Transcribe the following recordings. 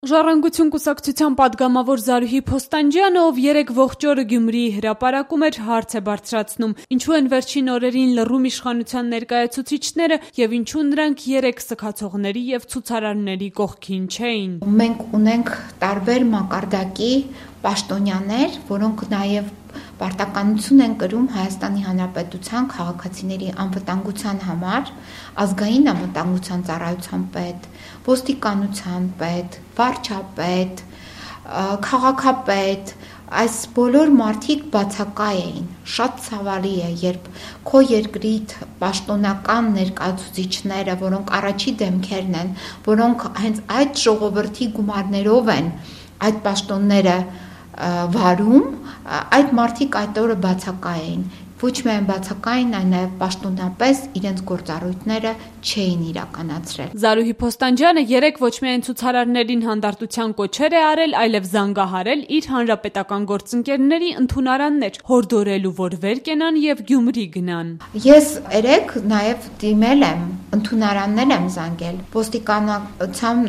Ժառանգություն կուսակցության պատգամավոր Զարուհի Փոստանջյանը, ով երեկ ողջ օրը Գյումրիի հրապարակում էր, հարց է բարձրացնում. ինչու են վերջին օրերին լռում իշխանության ներկայացուցիչները եւ ինչու նրանք երեք սգացողների եւ ցուցարարների կողքին չէին։ Մենք ունենք տարբեր մակարդակի պաշտոնյաներ, որոնք նաեւ պարտականություն են կրում Հայաստանի Հանրապետության քաղաքացիների անվտանգության համար, ազգային անվտանգության ծառայության պետ, ոստիկանության պետ, վարչապետ, քաղաքապետ, այս բոլոր մարդիկ բացակայ էին։ Շատ ցավալի է, երբ քո երկրի պաշտոնական ներկայացուցիչները, որոնք առաջի դեմքերն են, որոնք հենց այդ ժողովրդի գումարներով են այդ պաշտոնները վարում, այդ մարդիկ այդ օրը բացակայ էին։ Ոչ միայն բացակային, այլ նաև պաշտոնապես իրենց գործառույթները չէին իրականացրել։ Զարուհի Փոստանջյանը երեկ ոչ միայն ցուցարարներին հանդարտության կոչեր է արել, այլև զանգահարել իր հանրապետական գործընկերների ընդունարաններ, հորդորելու, որ վեր կենան եւ Գյումրի գնան։ Ես երեկ նաև դիմել եմ, ընդունարաններ եմ զանգել ոստիկանության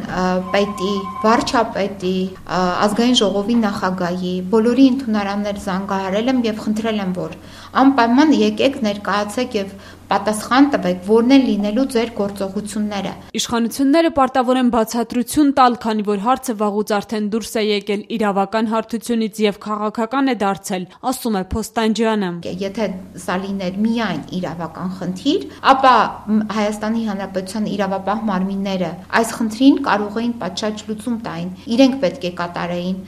պետի, վարչապետի, ազգային ժողովի նախագահի, բոլորի ընդունարաններ զանգահարել եմ եւ խնդրել եմ, որ անպայման եկեք ներկայացեք եւ պատասխան տվեք, որն են լինելու ձեր գործողությունները։ Իշխանությունները պարտավոր են բացատրություն տալ, քանի որ հարցը վաղուց արդեն դուրս է եկել իրավական հարթությունից եւ քաղաքական է դարձել, ասում է Փոստանջյանը։ Եթե սա լիներ միայն իրավական խնդիր, ապա Հայաստանի Հանրապետության իրավապահ մարմինները այս խնդրին կարող էին պատշաճ լուծում տային։ Իրենք պետք է կատարեին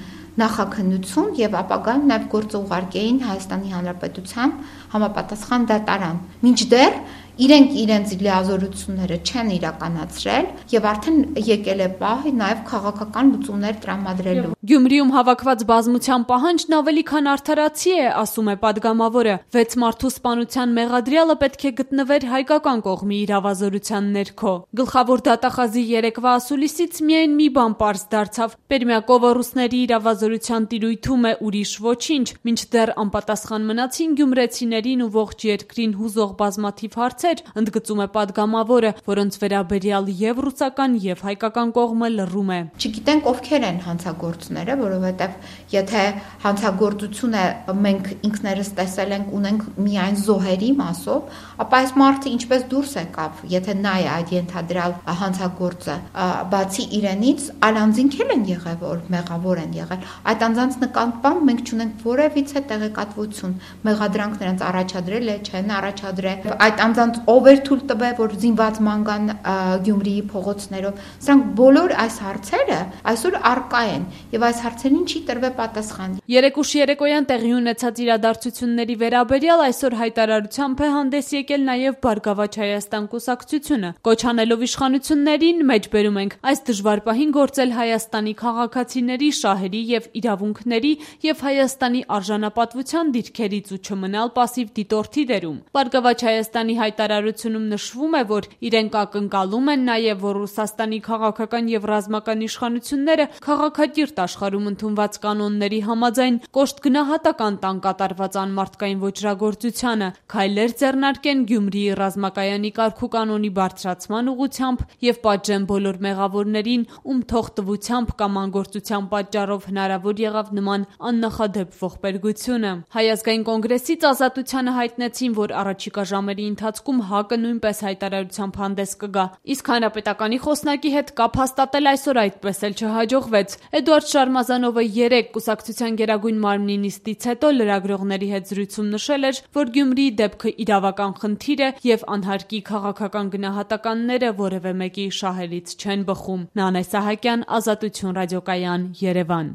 նախաքննություն եւ ապագայում նաեւ գործը ուղարկեին Հայաստանի Հանրապետության համապատասխան դատարան։ Մինչդեռ իրենք իրենց լիազորությունները չեն իրականացրել եւ արդեն եկել է պահ նաեւ քաղաքական լուծումներ տրամադրելու։ Գյումրիում հավաքված բազմության պահանջն ավելի քան արդարացի է, ասում է պատգամավորը։ 6 մարդու սպանության մեղադրյալը պետք է գտնվեր հայկական կողմի իրավազորության ներքո։ Գլխավոր դատախազի երեկվա ասուլիսից միայն մի բան պարզ դարձավ. Պերմյակովը ռուսների իրավազորության տիրույթում է, ուրիշ ոչինչ, մինչդեռ անպատասխան մնացին գյումրեցիներին ու ողջ երկրին հուզող բազմաթիվ հարցեր, ընդգծում է պատգամավորը, որոնց վերաբերյալ եւ ռուսական եւ հայկական կողմը լռում է։ Չգիտենք ովքեր են հանցագործները, որովհետեւ եթե հանցագործությունը մենք ինքներս տեսել ենք, ունենք միայն զոհերի մասով, ապա այս մարդը ինչպես դուրս եկավ, եթե նա է այդ ենթադրյալ հանցագործը, բացի իրենից, այլ անձինք են եղել, որ մեղավոր են եղել։ Այդ անձանց նկատմամբ մենք չունենք որևիցե տեղեկատվություն, մեղադրանք նրանց առաջադրել է, չեն առաջադրել։ Այդ անձանց ով էր թույլ տվել, որ զինված ման գան Գյումրիի փողոցներով։ Սրանք բոլոր այս հարցերը այսօր առկա են եւ այս հարցերին չի տրվել պատասխան։ Երեկ ուշ երեկոյան տեղի ունեցած իրադարձությունների վերաբերյալ այսօր հայտարարությամբ է հանդես եկել նաեւ Բարգավաճ Հայաստան կուսակցությունը, կոչ անելով իշխանություններին, մեջբերում ենք, այս դժվար պահին գործել Հայաստանի քաղաքացիների շահերի եւ իրավունքների եւ Հայաստանի արժանապատվության դիրքերից ու չմնալ պասիվ դիտորդի դերում։ Բարգավաճ Հայաստանի հայտարարությունում նշվում է, որ իրենք ակնկալում են նաեւ, որ Ռուսաստանի քաղաքական եւ ռազմական իշխանությունները քաղաքակիրթ աշխարհում ընդունված կանոնների համաձայն կոշտ գնահատական տան կատարված անմարդկային ոճրագործությանը, քայլեր ձեռնարկեն Գյումրիի ռազմակայանի կարգու կանոնի բարձրացման ուղղությամբ եւ պատժեն բոլոր մեղավորներին, ում թողտվությամբ կամ անգործության պատճառով հնարավոր եղավ նման աննախադեպ ողբերգությունը։ Հայ ազգային կոնգրեսից Ազատությանը հայտնեցին, որ առաջիկա ժամերի ընթացքում ՀԱԿ-ը նույնպես հայտարարությամբ հանդես կգա։ Իսկ հանրապետականի խոսնակի հետ կապ հաստատել այսօր այդպես էլ չհաջողվեց։ Էդուարդ Շարմազանովը երեկ կուսակցության գերագույն մարմնի նիստից հետո լրագրողների հետ զրույցում նշել էր, որ Գյումրիի դեպքը իրավական խնդիր է եւ անհարկի քաղաքական գնահատականները որևէ մեկի շահերից չեն բխում։ Նանե Սահակյան, Ազատություն ռադիոկայան, Երևան։